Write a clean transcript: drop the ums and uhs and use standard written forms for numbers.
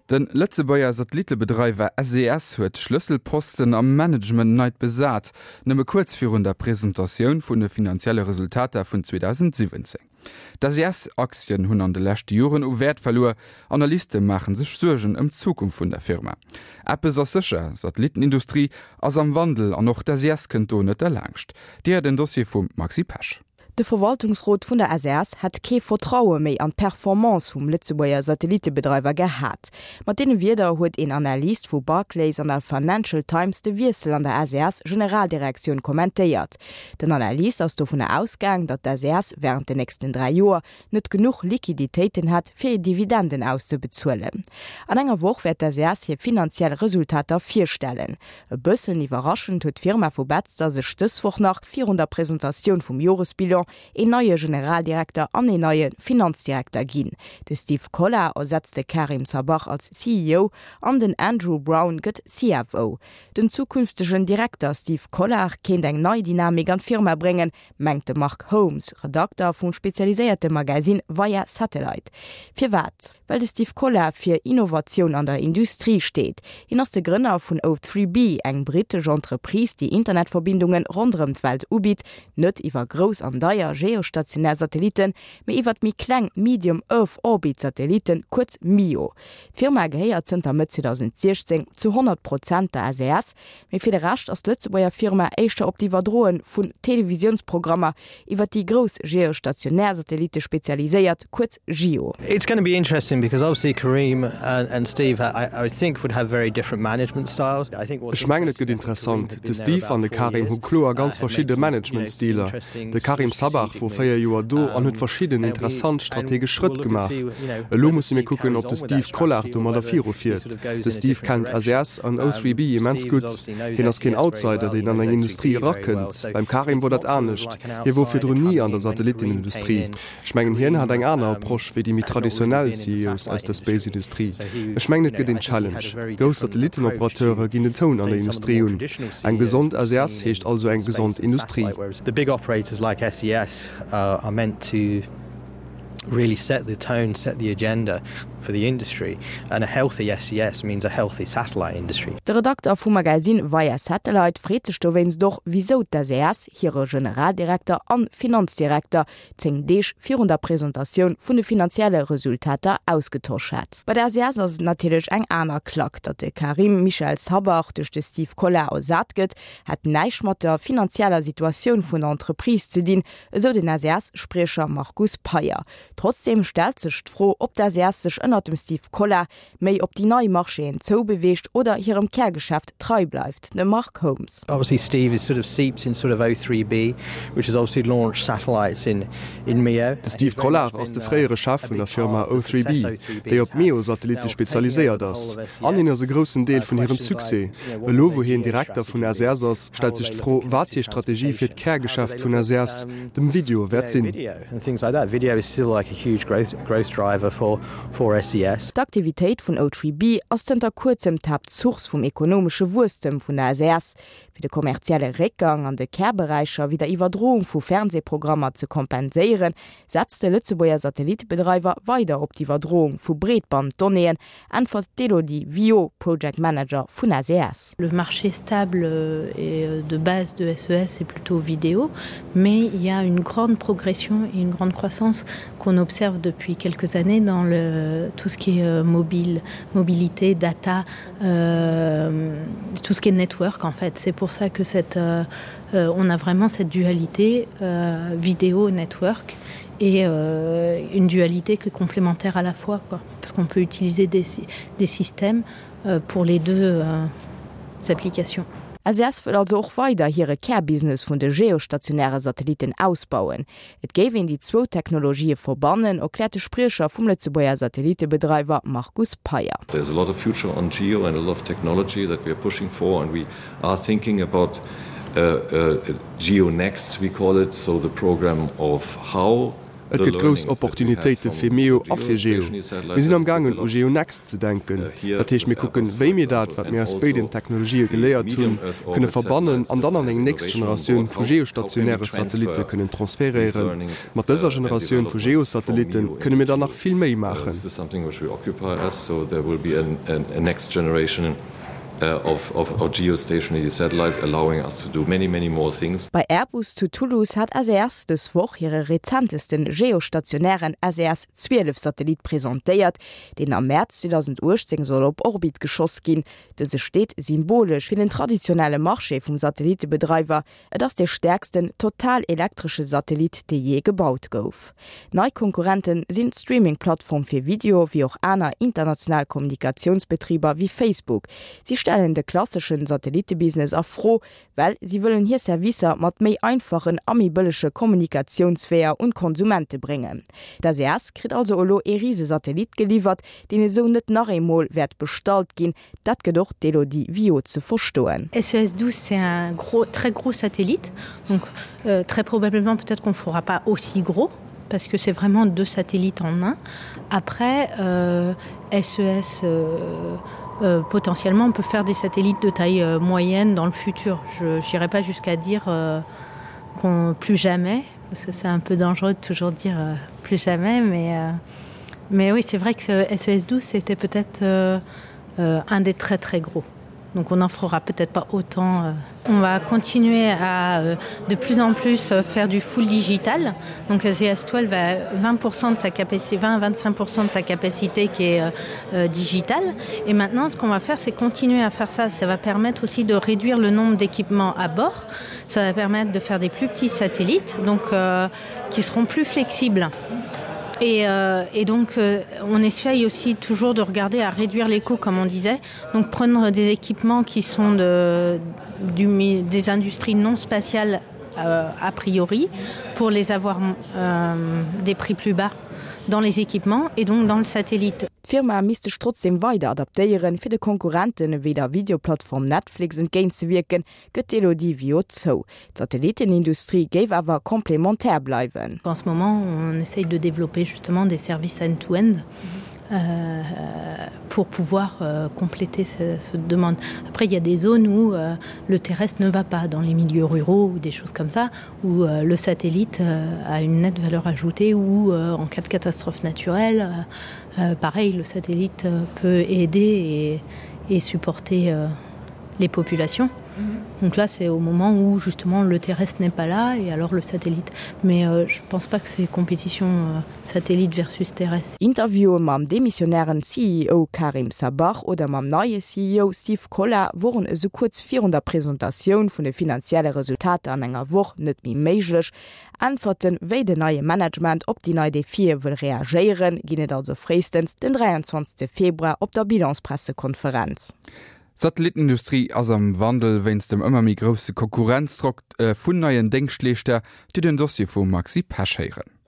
De Lëtzebuerger Satellitebedreiwer SES huet Schlësselposten am Management nei besat, nëmme kuerz virun der Presentatioun vun de finanzielle Resultater vun 2017. D'SES-Aktien hunn an de leschte Joren u Wäert verluer. Analyste maache sech Suergen ëm d'Zukunft vun der Firma. Eppes ass sécher, Satellittenindustrie ass am Wandel an och d'SES kënnt do net derlaanscht. Dir en Dossier vum Maxi Pesch. De Verwaltungsrot vun der SAS hätt kee Vertraue méi an d'Performance vum Lëtzebuerger Satellitebedreiwer gehat. Mat deene Wierder huet een Analyst vu Barclays an der Financial Times de Wiessel an der SAS-Generaldirektioun kommentéiert. Den Analyst ass dovunner ausgaang, datt d'SAS wärend den nächsten 3 Joer net genuch Liquiditéiten hätt, fir Dividenden auszebezuelen. An enger Woch wäert d'SAS hir finanziell Resultater virstellen. E bëssen iwwerraschend huet d'Firma vu Betzder sech dës Woch nach virun der Presentatioun vum Joresbilan een neie Generaldirekter an een neie Finanzdirekter ginn. De Steve Collard ersetzt de Karim Sabbagh als CEO an den Andrew Brown gëtt CFO. Den zukünftegen Direkter Steve Collard kéint eng nei Dynamik an d'Firma bréngen, mengt de Mark Holmes, Redakter vum spezialiséierte Magasinn Via Satellite. Firwat? Well de Steve Collard fir Innovatioun an der Industrie steet. Hien ass de Grënner vun O3B, eng brittesch Entreprise, déi Internetverbindunge ronderëm d'Welt ubitt, net iwwer grouss an deier geostationär Satellitten, mee iwwer méi kleng Medium Earth Orbit Satellitten, kuerz MEO. D'Firma gehéiert zënter Mëtt 2016 zu 100 Prozent der SES, Mee fir de Rescht ass d'Lëtzebuerger Firma éischter op d'Iwwerdroe vun Televisiounsprogrammer iwwer déi grouss geostationär Satellitte spezialiséiert, kuerz GEO. It's gonna be interesting because obviously Karim and Steve I think would have very different management styles. I think what's Ech mengen et gëtt interessant. De Steve an de Karim hu kloer ganz verschidde Managementstiler. De Karim Sabbagh wor 4 Joer do an huet verschidden interessant strategesch Schrëtt gemaach. Elo musse mir kucken, ob de Steve Collard domadder viru fiert. De Steve kennt SES an O3B immens gutt. Hien ass keen Outsider, deen an eng Industrie erakënnt. Beim Karim wor dat anescht. Hie wor virdrun ni an der Satellittenindustrie. Ech mengen, hien hat eng aner Approche wéi déi méi traditionell CEOs aus der Space-Industrie. Ech mengen, et gëtt een Challenge. Grouss Satellittenoperateure ginn den Toun an der Industrie un. Eng gesond SES heescht also eng gesond Industrie. The big operators like SES are meant to really set the tone, set the agenda for the industry and a healthy SES means a healthy satellite industry. De Redakter vum Magazine Via Satellite freet sech dowéinst och, wisou d'SES hire Generaldirekter an Finanzdirekter 10 Deeg virun der Presentatioun vun de finanzielle Resultater ausgetosch hätt. Bei der SES ass et natierlech eng aner Klack. Datt de Karim Michel Sabbagh duerch de Steve Collard ersat gëtt, hätt näischt mat der finanzieller Situatioun vun der Entreprise ze dinn, esou den SES-Spriecher Markus Payer. Trotzdeem stellt sech d'Fro, ob d'SES sech ënnert dem Steve Collard méi op déi nei Marchéen zoubeweegt oder hirem Kärgeschäft trei bleift, de Mark Holmes. Obviously Steve is sort of seeped in sort of O3B, which has obviously launched satellites in in MEO. De Steve Collard ass de fréiere Chef vun der Firma O3B, déi op MEO-Satellitte spezialiséiert ass. An hien ass e groussen Deel vun hirem Succès. Elo wou hien Direkter vun SES ass, stellt sech d'Fro, wat hir Strategie fir d'Kärgeschäft vun SES, dem Video, wäert sinn. For SES. D'Aktivitéit vun O3B ass zënter kuerzem d'Haaptsource vum ekonomesche Wuesstem vun der SES. Fir de kommerzielle Réckgang an de Kärberäicher wéi der Iwwerdroung vu Fernseeprogrammer ze kompenséieren, setzt de Lëtzebuerger Satellittebedreiwer weider op d'Iwwerdroung vu Breetband-Donnéeën, äntwert d'Elodie Viau, Project Manager vun SES. Le marché stable et de base de SES est plutôt vidéo, mais il y a une grande progression et une grande croissance qu'on observe depuis quelques années dans le, tout ce qui est euh, mobile, mobilité, data, euh, tout ce qui est network en fait. C'est pour ça que cette, euh, euh, on a vraiment cette dualité euh, vidéo network et euh, une dualité qui est complémentaire à la fois quoi, parce qu'on peut utiliser des, des systèmes euh, pour les deux euh, applications. SES wëll also och weider hire Kärbusiness vun de geostationäre Satellitten ausbauen. Et géif een déi zwou Technologië verbannen, erkläert de Spriecher vum Lëtzebuerger Satellittebedreiwer Markus Payer. There's a lot of future on geo and a lot of technology that we are pushing for and we are thinking about uh, uh, geo next we call it, so the program of how. Et gëtt grouss Opportunitéite fir MEO a fir GEO. Mir sinn am gaangen u GEO Next ze denken. Dat heescht, mir kucken, wéi mir dat, wat mir aus béiden Technologië geléiert hunn, kënne verbannen an dann an eng nächst Generatioun vu geostationäre Satellitte kënnen transferéieren. Mat dëser Generatioun vu Geosatellitte kënne mir dann nach vill méi maachen. Of geostationary satellites allowing us to do many, many more things. Bei Airbus zu Toulouse hat SES dës Woch hire rezentesten geostationären SES 12 Satellit presentéiert, deen am Mäerz 2018 soll op Orbit geschoss ginn. Dëse steet symbolesch fir den traditionelle Marché vum Satellittebedreiwer, Et ass dee stäerksten total elektresche Satellit, dee jee gebaut gouf. Nei Konkurrente sinn d'Streaming-Plattform fir Video wéi och aner international Kommunikatiounsbetriber wéi Facebook. Si stellen de klassesche Satellittebusiness a Fro, well si wëllen hir Servicer mat méi einfachen a méi bëllege Kommunikatiounsweeër un d'Konsumente bréngen. D'SES kritt also elo ee Risesatellit geliwwert, deen esou net nach eemol wäert bestallt ginn, Dat gëtt och d'Elodie Viau ze verstoen. SES 12 c'est un gros, très gros satellite, donc euh, très probablement peut-être qu'on fera pas aussi gros parce que c'est vraiment deux satellites en un. Après euh, SES euh, euh, potentiellement on peut faire des satellites de taille euh, moyenne dans le futur. Je n'irai pas jusqu'à dire euh, qu'on plus jamais parce que c'est un peu dangereux de toujours dire euh, plus jamais mais euh, mais oui c'est vrai que SES 12 c'était peut-être euh, euh, un des très très gros. Donc on n'en fera peut-être pas autant. Euh. On va continuer à euh, de plus en plus euh, faire du full digital. Donc CS12 va 20 de sa capacité 20 25 de sa capacité qui est euh, digitale. Et maintenant ce qu'on va faire c'est continuer à faire ça. Ça va permettre aussi de réduire le nombre d'équipements à bord. Ça va permettre de faire des plus petits satellites donc euh, qui seront plus flexibles. Et, euh, et donc euh, on essaye aussi toujours de regarder à réduire les coûts comme on disait donc prendre des équipements qui sont de, du, des industries non spatiales euh, a priori pour les avoir euh, des prix plus bas dans les équipements et donc dans le satellite. D'Firma misst sech trotzdeem weider adaptéieren, fir de Konkurrenten ewéi der Videoplattform Netflix entgéintzewierken, gëtt d'Elodie Viau zou. D'Satellittenindustrie géif awer complémentaire bleiwen. En ce moment, on essaye de développer justement des services end-to-end euh, pour pouvoir euh, compléter ce, cette demande. Après, il y a des zones où euh, le terrestre ne va pas, dans les milieux ruraux ou des choses comme ça, où euh, le satellite euh, a une nette valeur ajoutée ou euh, en cas de catastrophe naturelle, euh, euh, pareil, le satellite euh, peut aider et, et supporter euh, les populations. Mmh. Donc là c'est au moment où justement le terrestre n'est pas là et alors le satellite. Mais euh, je pense pas que c'est compétition euh, satellite versus terrestre. Interviewe mam demissionären CEO Karim Sabbagh oder mam neie CEO Steve Kolla woren esou kuerz virun der Presentatioun vun de finanzielle Resultater an enger Woch net méi méiglech. Äntwerten, wéi den neie Management op déi nei Defie wëll reagéieren, ginn et also fréistens den 23 Februar op der Bilanspressekonferenz. D'Satellittenindustrie ass am Wandel wéinst dem ëmmer méi grousse Konkurrenzdrock vun neien Déngschtleeschter, déi den Dossier vum Maxi Pesch héieren.